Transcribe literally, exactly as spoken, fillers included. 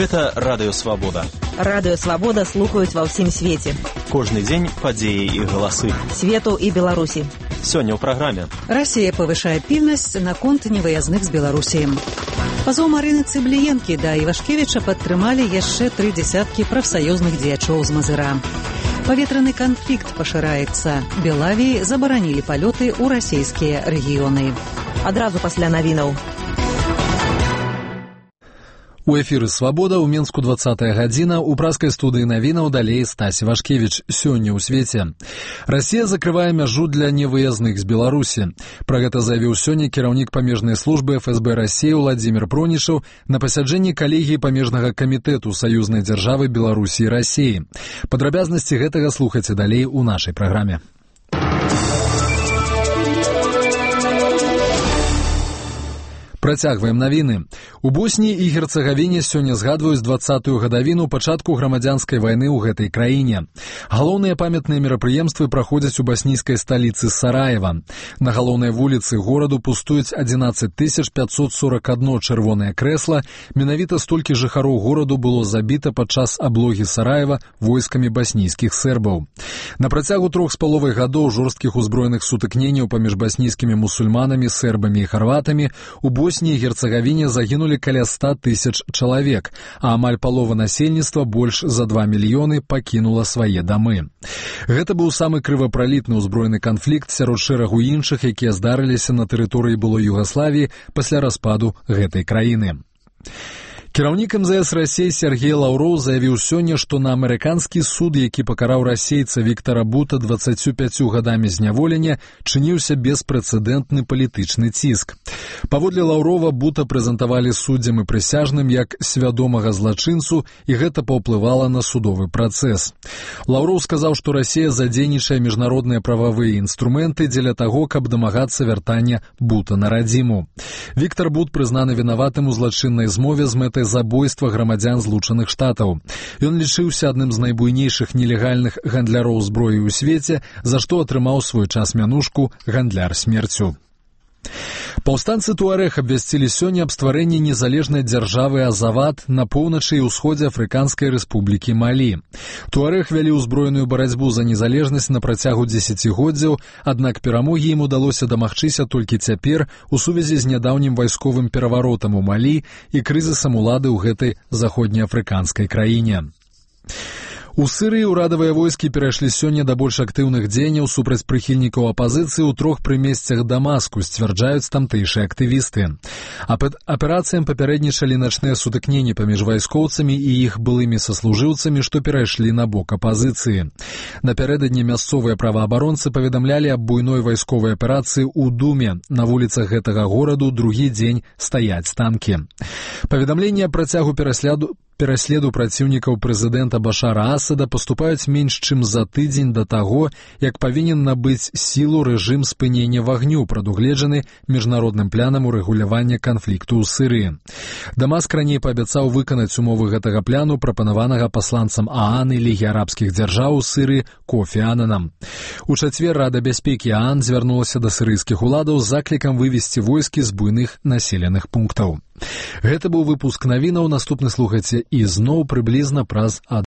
Гэта Радыё Свабода. Радыё Свабода слухаюць ва ўсім свеце. Кожны дзень падзеі і галасы. Свету і Беларусі. Сёння ў праграме. Расія павышае пільнасць наконт невыязных з Беларусі. Пазоў Марыны Цыбліенкі да Івашкевіча падтрымалі яшчэ тры дзясяткі прафсаюзных дзеячоў з Мазыра. Паветраны канфлікт пашыраецца. Белавіі забаранілі палёты ў расійскія рэгіёны. Адразу пасля навінаў. У эфіры «Свабода» ў Менску двадцатая гадзіна, у праскай студыі навінаў далей Стась Івашкевіч. Сёння ў свеце. Расія закрывае мяжу для невыязных з Беларусі. Пра гэта заявіў сёння кіраўнік памежнай службы эф эс бэ Расіі Владзімір Пронішаў на пасяджэнні калегіі памежнага камітэту саюзнай дзяржавы Беларусі і Расіі. Падрабязнасці гэтага слухайце далей у нашай праграме. Працягваем навіны. У Босніі і Герцагавіне сёння згадваюць дваццатую гадавіну пачатку грамадзянскай вайны ў гэтай краіне. Галоўныя памятныя мерапрыемствы праходзяць у баснійскай сталіцы Сараева. На галоўнай вуліцы гораду пустуюць адзінаццаць тысяч пятьсот сорок одно чырвонае крэсла. Менавіта столькі жыхароў гораду было забіта падчас аблогі Сараева войскамі баснійскіх сербаў. На працягу трох з паловай гадоў жорсткіх узброеных сутыкненняў паміж баснійскімі мусульманамі, сербамі і харватамі у Босніі і Герцагавіне загінулі каля ста тысяч чалавек, а амаль палова насельніцтва, больш за два мільёны, пакінула свае дамы. Гэта быў самы крывапралітны ўзброены канфлікт сярод шэрагу іншых, якія здарыліся на тэрыторыі былой Югаславіі пасля распаду гэтай краіны. Кіраўнік эм зэ эс Расіі Сергей Лаўроў заявіў сёння, што на амерыканскі суд, які пакараў расейца Віктара Бута дваццаццю пяццю гадамі зняволення, чыніўся беспрэцэдэнтны палітычны ціск. Паводле Лаўрова Бута прэзентавалі суддзям і прысяжным як свядомага злачынцу, і гэта паўплывала на судовы працэс. Лаўроў сказаў, што Расія задзейнічае міжнародныя прававыя інструменты дзеля таго, каб дамагацца вяртання Бута на радзіму. Віктар Бут прызнаны вінаватым у злачыннай змове з мэтай забойства грамадзян Злучаных Штатаў. Ён лічыўся адным з найбуйнейшых нелегальных гандляроў зброі ў свеце, за што атрымаў свой час мянушку «Гандляр смерцю». Паўстанцы Туарэг абвясцілі сёння аб стварэнні незалежнай дзяржавы Азават на поўначы і ўсходзе Афрыканскай рэспублікі Малі. Туарэг вялі ўзброеную барацьбу за незалежнасць на працягу дзесяцігоддзяў, аднак перамогі ім удалося дамагчыся толькі цяпер у сувязі з нядаўнім вайсковым пераваротам у Малі і крызісам улады ў гэтай заходнеафрыканскай краіне. У Сырыі ўрадавыя войскі перайшлі сёння да больш актыўных дзеянняў супраць прыхільнікаў апазіцыі ў трох прымесцях Дамаску, сцвярджаюць тамтэйшыя актывісты. Аперацыям папярэднічалі начныя сутыкненні паміж вайскоўцамі і іх былымі саслужыўцамі, што перайшлі на бок апазіцыі. Напярэдадні мясцовыя праваабаронцы паведамлялі аб буйной вайсковай аперацыі ў Думе. На вуліцах гэтага гораду другі дзень стаяць танкі. Паведамленні аб працягу пераследу Пераследу праціўнікаў прэзідэнта Башара Асада паступаюць менш чым за тыдзень да таго, як павінен набыць сілу рэжым спынення вагню, прадугледжаны міжнародным планам урэгулявання канфлікту ў Сырыі. Дамаск раней паабяцаў выканаць умовы гэтага пляну, прапанаванага пасланцам ААН і Лігі арабскіх дзяржаў у Сырыі Кофі Ананам. У чацвер Рада бяспекі ААН звярнулася да сырыйскіх уладаў з заклікам вывесці войскі з буйных населеных пунктаў. Гэта быў выпуск навінаў, наступны слухайце і зноў прыблізна праз